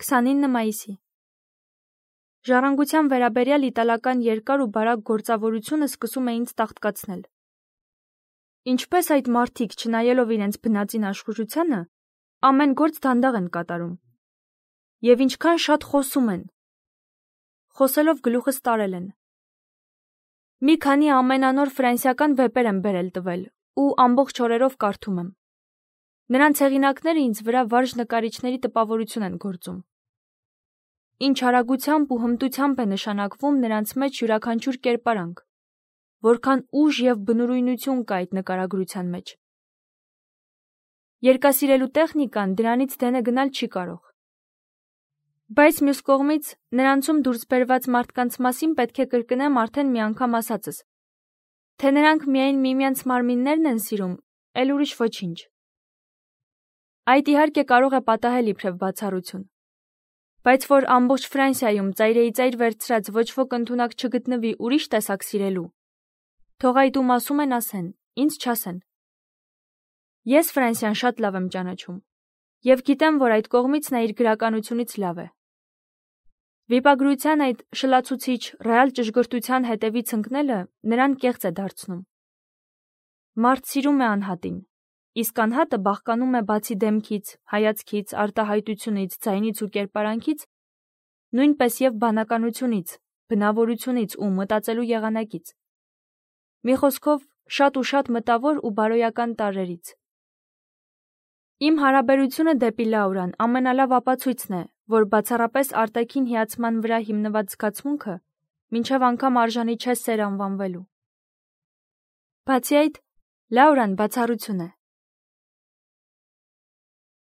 29 մայիսի։ Ժառանգության վերաբերյալ իտալական երկար ու բարակ գործավորությունը սկսում է ինձ տաղտկացնել։ Ինչպես այդ մարդիկ, չնայելով իրենց բնածին աշխուժությանը, ամեն գործ դանդաղ են կատարում։ Եվ ինչքան շատ խոսում են։ Խոսելով գլուխս տարել են։ Մի քանի ամենանոր ֆրանսիական վեպեր եմ բերել տվել ու ամբողջ օրերով կարդում եմ։ Նրանց հեղինակները ինձ վրա վարժ նկարիչների տպավորություն են գործում։ Ինչ արագությամբ ու հմտությամբ է նշանակվում նրանց մեջ յուրաքանչյուր կերպարանք, որքան ուժ և բնուրույնություն կա այդ նկարագրության մեջ։ Երկասիրելու տեխնիկան դրանից դենը գնալ չի կարող։ Բայց մյուս կողմից նրանցում դուրս բերված մարդկանց մասին պետք է կրկնեմ արդեն մի անգամ ասածս, թե նրանք միայն միմյանց մարմիններն են սիրում, էլ ուրիշ ոչինչ։ Այդ իհարկե կարող է պատահել իբրև բացառություն, բայց որ ամբողջ Ֆրանսիայում ծայրիծայր վերցրած ոչ ոք ընդունակ չգտնվի ուրիշ տեսակ սիրելու, թող այդ ում ասում են ասեն, ինձ չասեն։ Ես Ֆրանսիան շատ լավ եմ ճանաչում և գիտեմ, որ այդ կողմից նա իր գրականությունից լավ է։ Վիպագրության այդ շլացուցիչ, ռեալ ճշգրտության հետևից ընկնելը նրան կեղծ է դարձնում։ Մարդ սիրում է անհատին, իսկ անհատը բաղկանում է բացի դեմքից, հայացքից, արտահայտությունից, ձայնից ու կերպարանքից, նույնպես և բանականությունից, բնավորությունից ու մտածելու եղանակից։ Մի խոսքով, շատ ու շատ մտավոր ու բարոյական տարրերից։ Իմ հարաբերությունը դեպի Լաուրան ամենալավ ապացույցն է, որ բացառապես արտաքին հիացման վրա հիմնված զգացմունքը մինչև անգամ արժանի չէ սեր անվանվելու։ Բացի այդ, Լաուրան բացառություն է։